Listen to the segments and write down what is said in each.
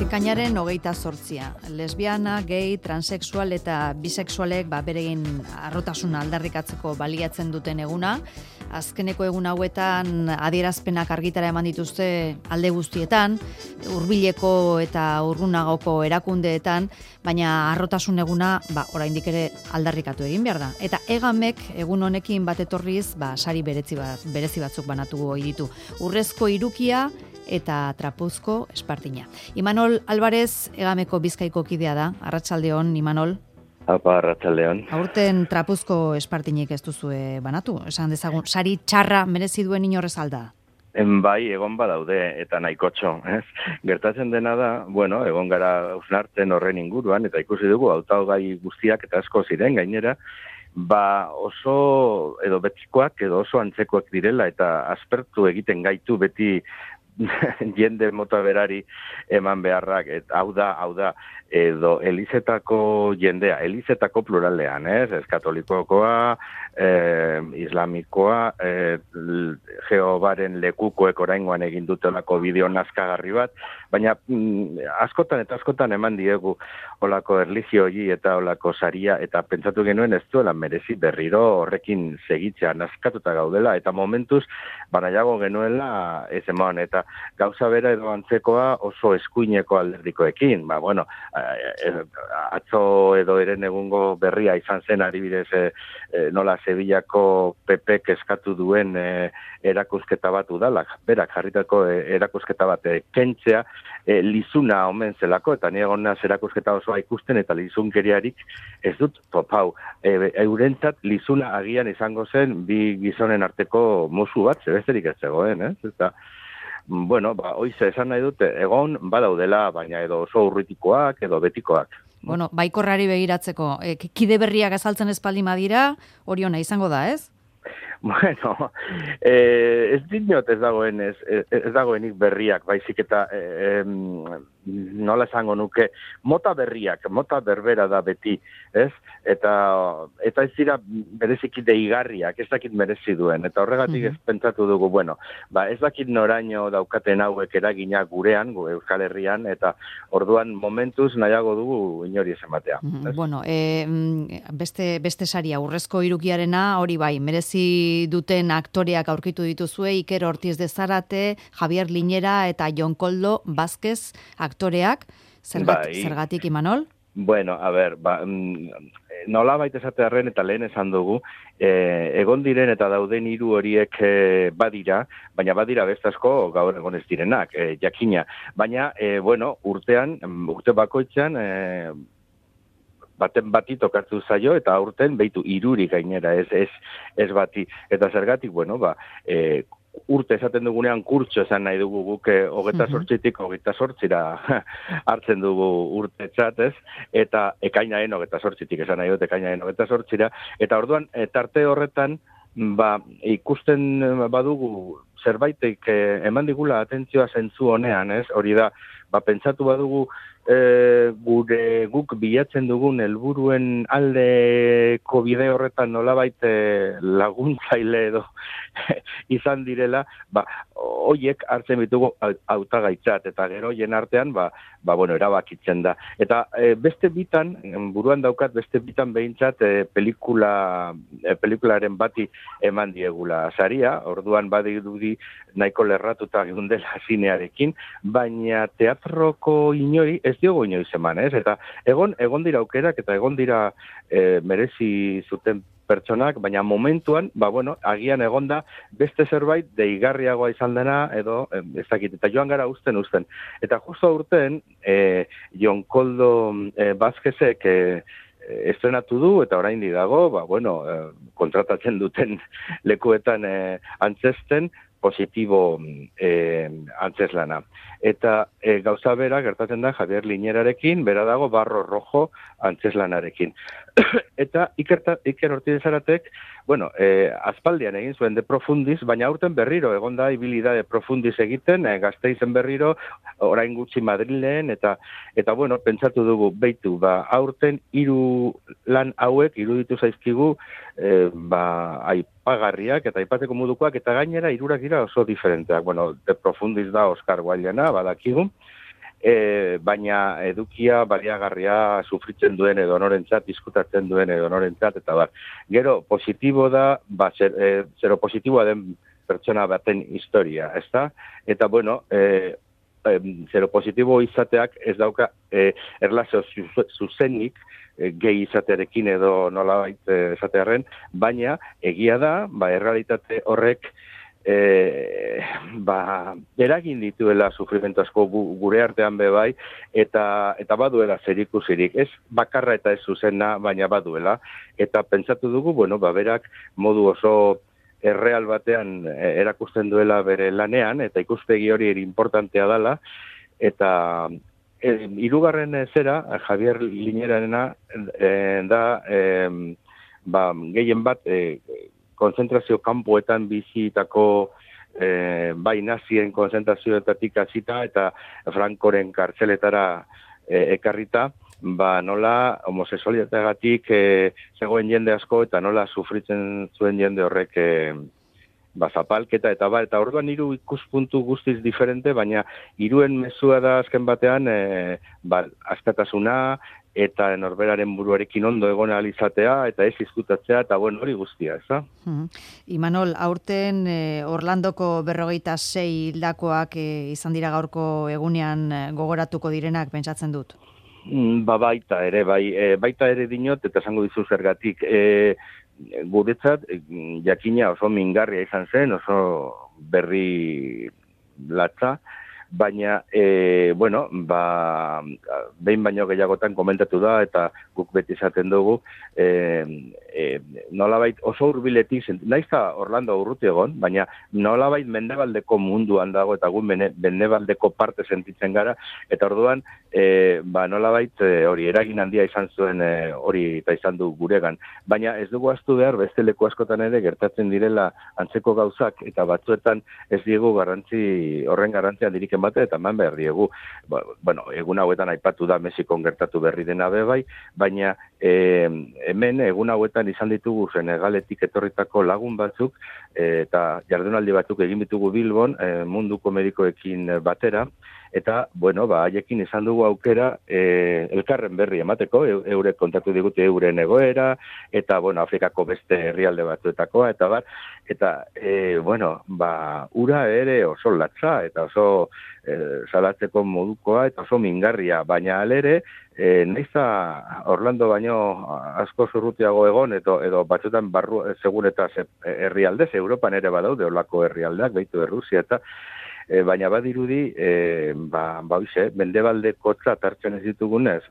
Ekainaren 28. Lesbiana, gay, transexual eta bisexualek beregin arrotasuna aldarrikatzeko baliatzen duten eguna. Azkeneko egun hauetan adierazpenak argitara eman dituzte alde guztietan, hurbileko eta urrunagoko erakundeetan, baina arrotasun eguna oraindik ere aldarrikatu egin behar da. Eta egamek egun honekin bat etorriz sari berezi batzuk banatu ohi ditu. Urrezko hirukia eta trapuzko espartina. Imanol Alvarez egameko Bizkaiko kidea da. Arratsaldeon, Imanol. Apa, arratsaldeon. Aurten trapuzko espartinik ez duzue banatu? Esan dezagun, sari txarra merezi duen inorrez alda? Bai, egon badaude eta nahikotxo. Gertatzen dena da, egon gara hausnartzen horren inguruan, eta ikusi dugu hautagai guztiak eta asko ziren gainera, oso edo betikoak edo oso antzekoak direla eta aspertu egiten gaitu beti jende mota berari eman beharrak, hau da, edo elizetako jendea, elizetako pluralean, ez katolikokoa, islamikoa, Jehovaren lekukoek oraingoan egin dutelako bideo nazkagarri bat, baina askotan eman diegu olako erlizioi eta olako saria, eta pentsatu genuen ez duela merezi berriro horrekin segitzea, nazkatuta gaudela, eta momentuz, nahiago genuela ez eman, eta gauza bera edo antzekoa oso eskuineko alderdikoekin, atzo edo eren egungo berria izan zen adibidez nola Sevillako PP eskatu duen erakusketa bat udalak, berak jarritako erakusketa bat kentzea lizuna omen zelako, eta ni egon naz erakusketa osoa ikusten eta lizunkeriarik ez dut topau. Eurentzat lizuna agian izango zen bi gizonen arteko musu bat, zebesterik ez zegoen, eta hoize esan nahi dute, egon badaudela, baina edo oso urritikoak edo betikoak. Baikorrari begiratzeko, kide berriak azaltzen espaldi madira, hori ona izango da, ez? Ez dinot ez dagoenik berriak, baizik eta nola esango nuke, mota berriak, mota berbera da beti, ez? Eta ez dira bereziki deigarriak, ez dakit merezi duen, eta horregatik ez pentsatu dugu, ez dakit noraino daukaten hauek eragina gurean, Euskal Herrian, eta orduan momentuz nahiago dugu inori ez ematea. Beste saria, urrezko hirukiarena, hori bai, merezi duten aktoreak aurkitu dituzue, Iker Ortiz de Zarate, Javier Liñera eta Jon Koldo Vázquez aktoreak, zergatik Imanol? Nola baita esatearen eta lehen esan dugu, egon diren eta dauden hiru horiek badira, baina badira beste asko gaur egon ez direnak, jakina. Baina, urte bakoitzean, baten bati tokartu zaio, eta aurten behitu hiruri gainera, ez bati. Eta zergatik, urte esaten dugunean kurtso esan nahi dugu guk 28tik 28ra hartzen dugu urtetzat, ez? Eta ekainaren 28tik esan nahi dut ekainaren 28ra, eta orduan tarte horretan ikusten badugu zerbaitek eman digula atentzioa zentzu honean, ez? Hori da, pentsatu badugu guk bilatzen dugun helburuen aldeko bide horretan nolabait laguntzaile edo izan direla, hoiek hartzen bitugu hautagaitzat, eta gero jen artean, erabakitzen da. Eta beste bitan, buruan daukat, beste bitan behintzat pelikularen bati eman diegula saria, orduan badirudi nahiko lerratuta gundela zinearekin, baina teatroko inori ez diogo inoiz eman, ez? Eta egon dira aukerak eta egon dira merezi zuten pertsonak, baina momentuan, agian egonda beste zerbait deigarriagoa izan dena, edo ez dakit, eta joan gara uzten. Eta justo aurten, Jon Koldo Vázquezek estrenatu du, eta orain dago, kontratatzen duten lekuetan antzesten, positibo antzeslana. Eta gauza bera gertatzen da Javier Liñerarekin, bera dago Barro Rojo antzeslanarekin. Eta Iker Ortiz de Zaratek, aspaldian egin zuen de profundis, baina aurten berriro, egon da ibilida de profundis egiten, Gasteizen berriro, orain gutxi Madrilen, eta pentsatu dugu, aurten hiru lan hauek iruditu zaizkigu, aipagarriak eta aipateko modukoak, eta gainera hirurak dira oso diferenteak. De profundis da Oscar Wildeena, badakigu, baina edukia baliagarria sufritzen duen edo norentzat, diskutatzen duen edo norentzat, eta bar. Gero, positibo da, zero positiboa den pertsona baten historia, ezta? Eta, bueno, zero positibo izateak ez dauka erlazio zuzenik gehi izatearekin edo nolabait esatearren, baina egia da, errealitate horrek eragin dituela sufrimentu asko gure artean bai, eta baduela zerikusirik. Ez bakarra eta ez zuzena, baina baduela. Eta pentsatu dugu, berak modu oso erreal batean erakusten duela bere lanean, eta ikuspegi hori importantea dela, eta hirugarren zera, Javier Liñerarena da, gehien bat, konzentrazio kanpoetan bizitako bai nazien konzentrazioetatik hasita eta Francoren kartzeletara ekarrita, nola homosexualitateagatik zegoen jende asko eta nola sufritzen zuen jende horrek zapalketa eta orduan hiru ikuspuntu guztiz diferente, baina hiruen mezua da azken batean askatasuna eta norberaren buruarekin ondo egon ahal izatea eta ez izkutatzea eta hori guztia, ez da? Imanol, aurten Orlandoko 46 hildakoak izan dira gaurko egunean gogoratuko direnak, pentsatzen dut. Baita ere, baita ere dinot, eta esango dizu zergatik. Guretzat, jakina oso mingarria izan zen, oso berri latza, baina, behin baino gehiagotan komentatu da, eta guk beti izaten dugu, nolabait oso hurbiletik, naizta Orlando urruti egon, baina nolabait mendebaldeko munduan dago, eta gu mendebaldeko parte sentitzen gara, eta orduan, nolabait hori eragin handia izan zuen hori eta izan du guregan. Baina ez dugu ahaztu behar, beste leku askotan ere gertatzen direla antzeko gauzak, eta batzuetan ez diegu horren garrantzia handirik ematen, eta eman behar diegu. Egun hauetan aipatu da Mexikon gertatu berri dena bai, baina hemen egun hauetan izan ditugu Senegaletik etorritako lagun batzuk, eta jardunaldi batzuk egin ditugu Bilbon, munduko medikoekin batera, eta, haiekin izan dugu aukera elkarren berri emateko, eurek kontatu digute euren egoera, eta, Afrikako beste herrialde batzuetakoa, eta ura ere oso latza, eta oso salatzeko modukoa, eta oso mingarria, baina alere, nahiza Orlando baino asko zurrutiago egon, edo batzutan barru seguretaz herrialdez, Europan ere badaude olako herrialdeak, behitu Errusia, eta baina badirudi, mendebaldeko hartzen ez ditugunez,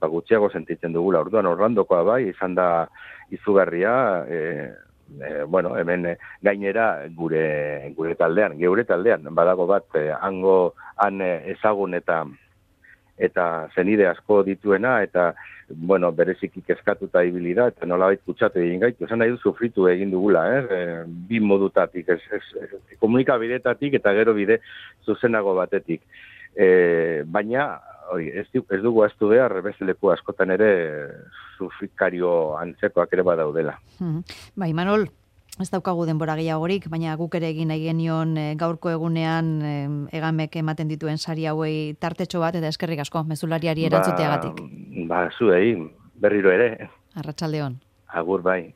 gutxiago sentitzen dugula. Orduan Orlandokoa bai, izan da izugarria, hemen gainera gure taldean, geure taldean, badago bat, han ezagun eta zenide asko dituena, eta, bereziki kezkatuta ibili da, eta nolabait kutsatu egin gaitu. Esan nahi du sufritu egin dugula, bi modutatik, komunikabidetatik eta gero bide zuzenago batetik. Baina, ez dugu ahaztu behar, beste leku askotan ere sufrikario antzekoak ere badaudela. Imanol, ez daukagu denbora gehiagorik, baina guk ere egin nahi genion gaurko egunean Egamek ematen dituen sari hauei tartetxo bat, eta eskerrik asko, mezulariari erantzuteagatik. Zuei, berriro ere. Arratsaldeon. Agur bai.